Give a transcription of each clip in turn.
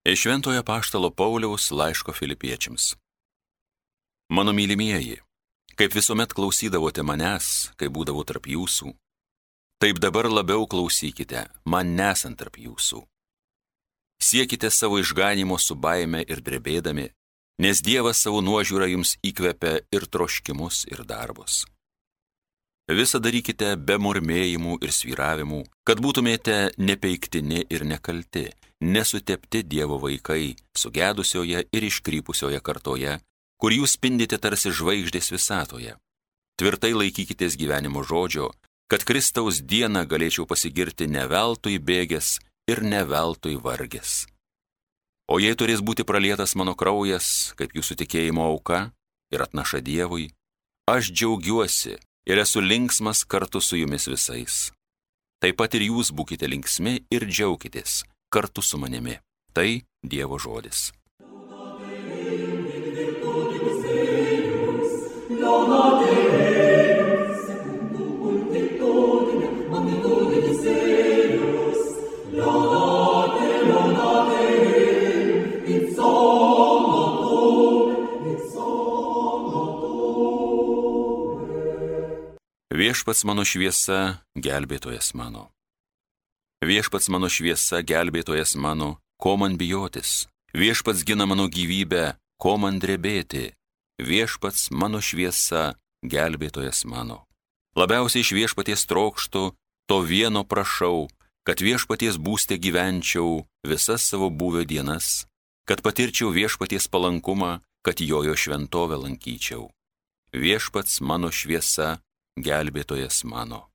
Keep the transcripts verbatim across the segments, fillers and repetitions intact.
Iš Šventojo apaštalo Pauliaus laiško Filipiečiams. Mano mylimieji, kaip visuomet klausydavote manęs, kai būdavau tarp jūsų, taip dabar labiau klausykite, man nesant tarp jūsų. Siekite savo išganimo su baime ir drebėdami, nes Dievas savo nuožiūrą jums įkvepia ir troškimus, ir darbus. Visa darykite be murmėjimų ir svyravimų, kad būtumėte nepeiktini ir nekalti, nesutepti Dievo vaikai, sugedusioje ir iškrypusioje kartoje, kur jūs spindite tarsi žvaigždės visatoje. Tvirtai laikykitės gyvenimo žodžio, kad Kristaus dieną galėčiau pasigirti ne veltui bėgęs ir ne veltui vargęs. O jei turės būti pralietas mano kraujas, kaip jūsų tikėjimo auka, ir atnaša Dievui, aš džiaugiuosi ir esu linksmas kartu su jumis visais. Taip pat ir jūs būkite linksmi ir džiaukitės kartu su manimi. Tai Dievo žodis. Viešpats mano šviesa, gelbėtojas mano. Viešpats mano šviesa, gelbėtojas mano, ko man bijotis. Viešpats gina mano gyvybę, ko man drebėti. Viešpats mano šviesa, gelbėtojas mano. Labiausiai iš viešpaties trokštu, to vieno prašau, kad viešpaties būste gyvenčiau visas savo būvio dienas, kad patirčiau viešpaties palankumą, kad jojo šventovę lankyčiau. Viešpats mano šviesa, gelbėtojas mano.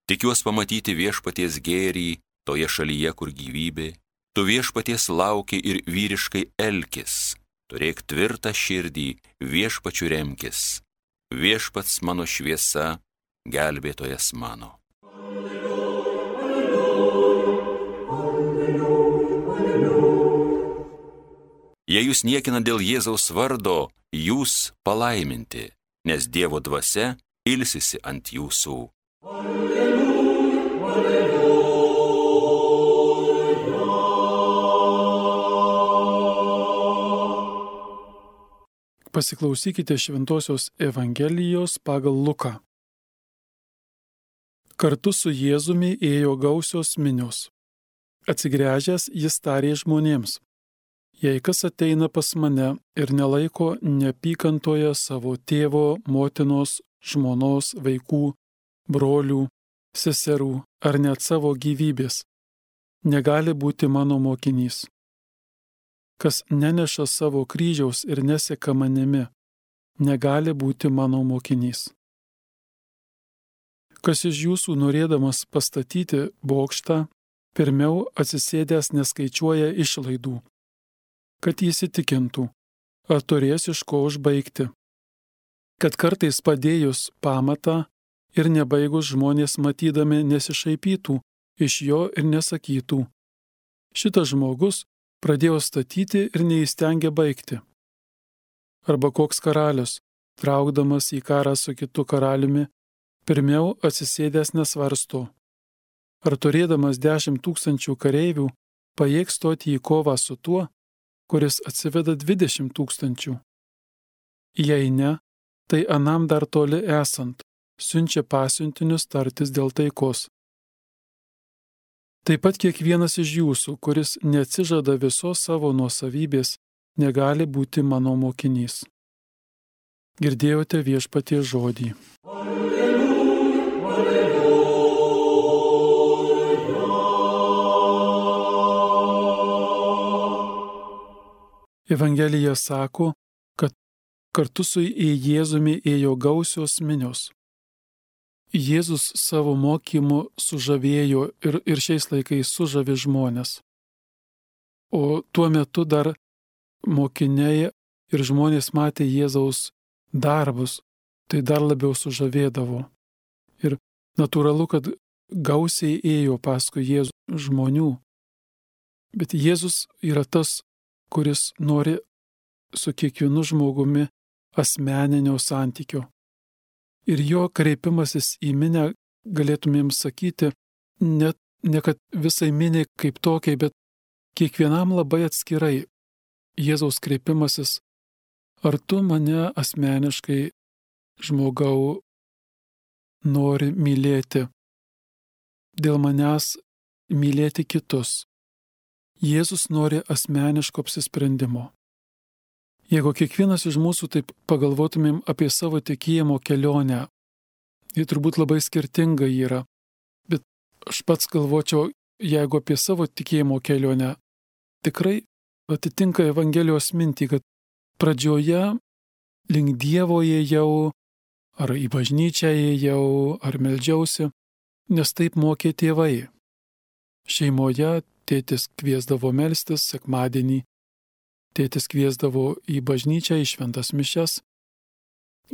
Tikiuos pamatyti viešpaties gėrį toje šalyje, kur gyvybė. Tu viešpaties lauki ir vyriškai elkis. Turėk tvirtą širdį, viešpačiu remkis. Viešpats mano šviesa, gelbėtojas mano. Jei jūs niekina dėl Jėzaus vardo, jūs palaiminti, nes Dievo dvasia ilsisi ant jūsų. Alleluja, alleluja. Pasiklausykite Šventosios Evangelijos pagal Luką. Kartu su Jėzumi ėjo gausios minios. Atsigręžęs jis tarė žmonėms: jei kas ateina pas mane ir nelaiko neapykantoje savo tėvo, motinos, žmonos, vaikų, brolių, seserų ar net savo gyvybės, negali būti mano mokinys. Kas neneša savo kryžiaus ir neseka manimi, negali būti mano mokinys. Kas iš jūsų norėdamas pastatyti bokštą, pirmiau atsisėdęs neskaičiuoja išlaidų, kad įsitikintų, ar turės iš ko užbaigti. Kad kartais padėjus pamatą ir nebaigus žmonės matydami nesišaipytų iš jo ir nesakytų: šitas žmogus pradėjo statyti ir neįstengė baigti. Arba koks karalius, traukdamas į karą su kitu karaliumi, pirmiau atsisėdęs nesvarsto, ar turėdamas dešimt tūkstančių kareivių pajėgs stoti į kovą su tuo, kuris atsiveda dvidešimt tūkstančių. Jei ne, tai anam dar toli esant, siunčia pasiuntinius tartis dėl taikos. Taip pat kiekvienas iš jūsų, kuris neatsižada visos savo nuosavybės, negali būti mano mokinys. Girdėjote viešpaties žodį. Alleluja, alleluja. Evangelija sako, kad kartu su Jėzumi ėjo gausios minios. Jėzus savo mokymu sužavėjo ir, ir šiais laikais sužavi žmonės. O tuo metu dar mokiniai ir žmonės matė Jėzaus darbus, tai dar labiau sužavėdavo. Ir natūralu, kad gausiai ėjo paskui Jėzų žmonių. Bet Jėzus yra tas, kuris nori su kiekvienu žmogumi asmeninio santykio. Ir jo kreipimasis į minią, galėtumėm sakyti, ne, ne kad visai miniai kaip tokiai, bet kiekvienam labai atskirai Jėzaus kreipimasis, ar tu mane asmeniškai, žmogau, nori mylėti, dėl manęs mylėti kitus. Jėzus nori asmeniško apsisprendimo. Jeigu kiekvienas iš mūsų taip pagalvotumėm apie savo tikėjimo kelionę, ji turbūt labai skirtinga yra, bet aš pats galvočiau, jeigu apie savo tikėjimo kelionę, tikrai atitinka Evangelijos mintį, kad pradžioje link Dievo ėjau, ar į bažnyčią ėjau, ar meldžiausi, nes taip mokė tėvai. Šeimoje tėtis kviesdavo melstis sekmadienį, tėtis kviesdavo į bažnyčią, į šventas mišias.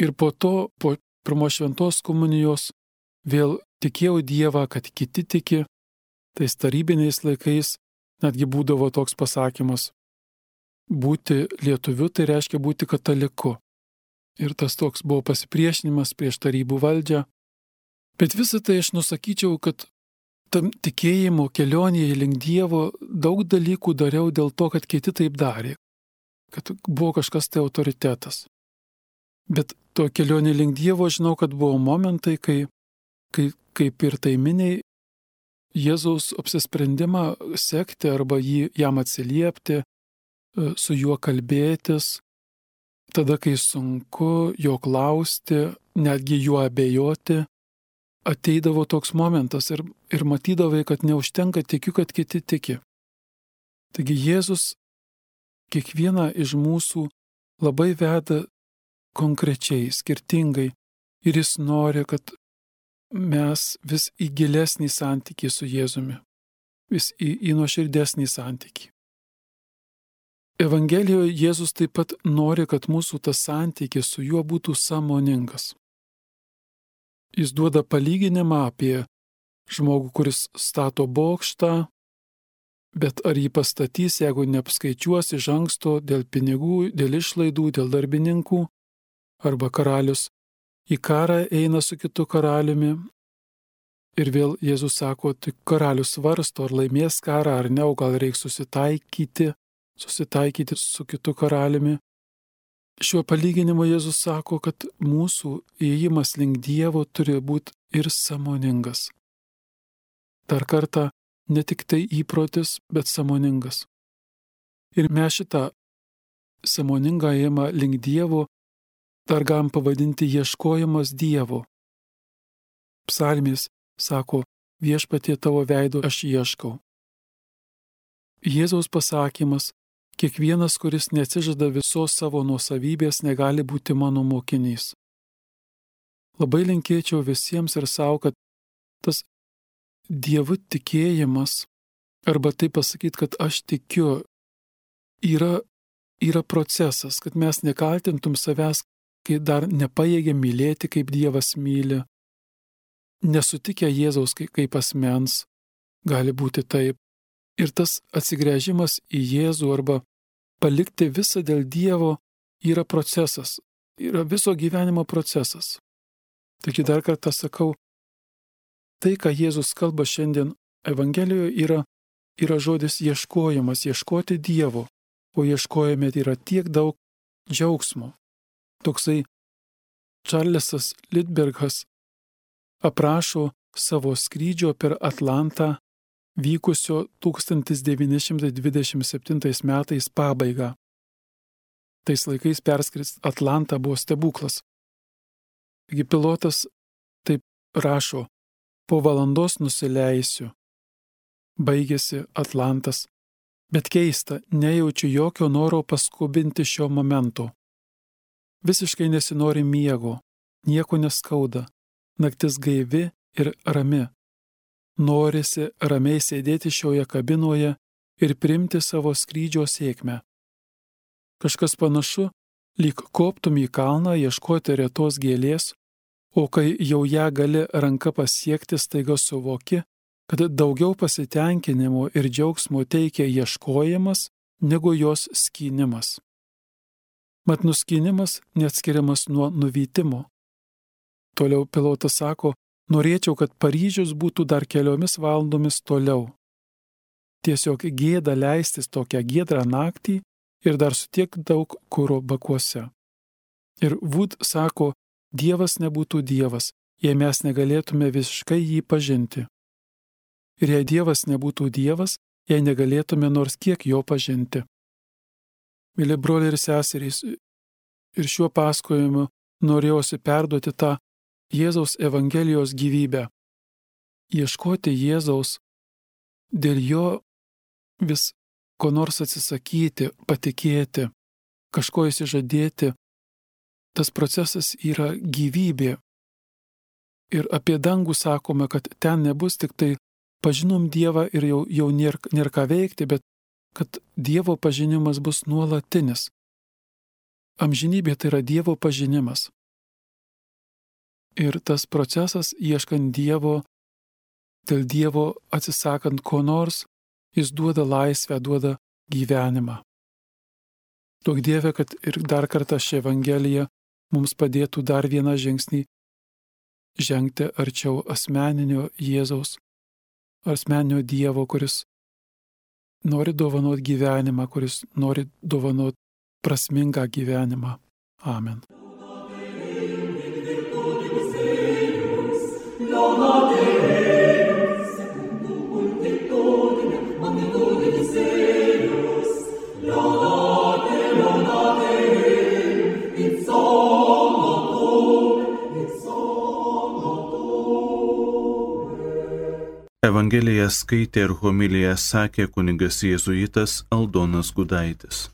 Ir po to, po pirmos šventos komunijos, vėl tikėjau Dievą, kad kiti tiki. Tais tarybiniais laikais netgi būdavo toks pasakymas: būti lietuviu tai reiškia būti kataliku. Ir tas toks buvo pasipriešinimas prieš tarybų valdžią. Bet visą tai aš nusakyčiau, kad tam tikėjimo kelionėje link Dievo daug dalykų dariau dėl to, kad kiti taip darė, kad buvo kažkas tai autoritetas. Bet to kelionė link Dievo žinau, kad buvo momentai, kai, kai kaip ir taiminiai Jėzaus apsisprendimą sekti arba jį, jam atsiliepti, su juo kalbėtis, tada, kai sunku jo klausti, netgi juo abejoti, ateidavo toks momentas ir, ir matydavai, kad neužtenka tikiu, kad kiti tiki. Taigi Jėzus kiekvieną iš mūsų labai veda konkrečiai, skirtingai ir jis nori, kad mes vis į gilesnį santykį su Jėzumi, vis į, į nuoširdesnį santykį. Evangelijoje Jėzus taip pat nori, kad mūsų tas santykis su juo būtų sąmoningas. Jis duoda palyginimą apie žmogų, kuris stato bokštą, bet ar jį pastatys, jeigu neapskaičiuos iš anksto dėl pinigų, dėl išlaidų, dėl darbininkų, arba karalius į karą eina su kitu karaliumi. Ir vėl Jėzus sako, tai karalius svarsto, ar laimės karą ar ne, o gal reiks susitaikyti, susitaikyti su kitu karaliumi. Šiuo palyginimu Jėzus sako, kad mūsų ėjimas link Dievo turi būti ir sąmoningas. Dar kartą, ne tik tai įprotis, bet sąmoningas. Ir mes šitą sąmoningą ėjimą link Dievo dar galim pavadinti ieškojimas Dievo. Psalmės sako, viešpatie tavo veido aš ieškau. Jėzaus pasakymas, kiekvienas, kuris neatsižada visos savo nuosavybės, negali būti mano mokinys. Labai linkėčiau visiems ir savo, kad tas Dievu tikėjimas, arba taip pasakyti, kad aš tikiu, yra, yra procesas, kad mes nekaltintum savęs, kai dar nepajėgė mylėti, kaip Dievas myli. Nesutikę Jėzaus kaip asmens, gali būti taip. Ir tas atsigręžimas į Jėzų arba palikti visą dėl Dievo yra procesas, yra viso gyvenimo procesas. Taigi dar kartą sakau, tai, ką Jėzus kalba šiandien Evangelijoje, yra, yra žodis ieškojimas, ieškoti Dievo, o ieškojime yra tiek daug džiaugsmo. Toksai Čarlesas Lindbergas aprašo savo skrydžio per Atlantą vykusio tūkstantis devyni šimtai dvidešimt septintais metais pabaigą. Tais laikais perskrist Atlantą buvo stebuklas. Taigi pilotas taip rašo, po valandos nusileisiu. Baigėsi Atlantas, bet keista, nejaučiu jokio noro paskubinti šio momento. Visiškai nesinori miego, nieko neskauda, naktis gaivi ir rami. Norisi ramiai sėdėti šioje kabinoje ir priimti savo skrydžio sėkmę. Kažkas panašu, lyg koptum į kalną ieškoti retos gėlės, o kai jau ją gali ranka pasiekti, staiga suvoki, kad daugiau pasitenkinimo ir džiaugsmo teikia ieškojimas, negu jos skynimas. Mat nuskynimas neatskiriamas nuo nuvytimo. Toliau pilotas sako, norėčiau, kad Paryžius būtų dar keliomis valandomis toliau. tiesiog gėda leistis tokią giedrą naktį ir dar su tiek daug kuro bakuose. Ir Wood sako, Dievas nebūtų Dievas, jei mes negalėtume visiškai jį pažinti. Ir jei Dievas nebūtų Dievas, jei negalėtume nors kiek jo pažinti. Mėly broliai ir seserys, ir šiuo pasakojimu norėjosi perduoti tą Jėzaus Evangelijos gyvybę. Ieškoti Jėzaus, dėl jo vis ko nors atsisakyti, patikėti, kažko įsižadėti, tas procesas yra gyvybė. Ir apie dangų sakome, kad ten nebus tik tai pažinom Dievą ir jau, jau nėra, nėra ką veikti, bet kad Dievo pažinimas bus nuolatinis. Amžinybė tai yra Dievo pažinimas. Ir tas procesas, ieškant Dievo, dėl Dievo atsisakant ko nors, jis duoda laisvę, duoda gyvenimą. Duok Dieve, kad ir dar kartą ši Evangelija mums padėtų dar vieną žingsnį žengti arčiau asmeninio Jėzaus, asmeninio Dievo, kuris nori dovanot gyvenimą, kuris nori dovanot prasmingą gyvenimą. Amen. Evangeliją skaitė ir homiliją sakė kunigas jėzuitas Aldonas Gudaitis.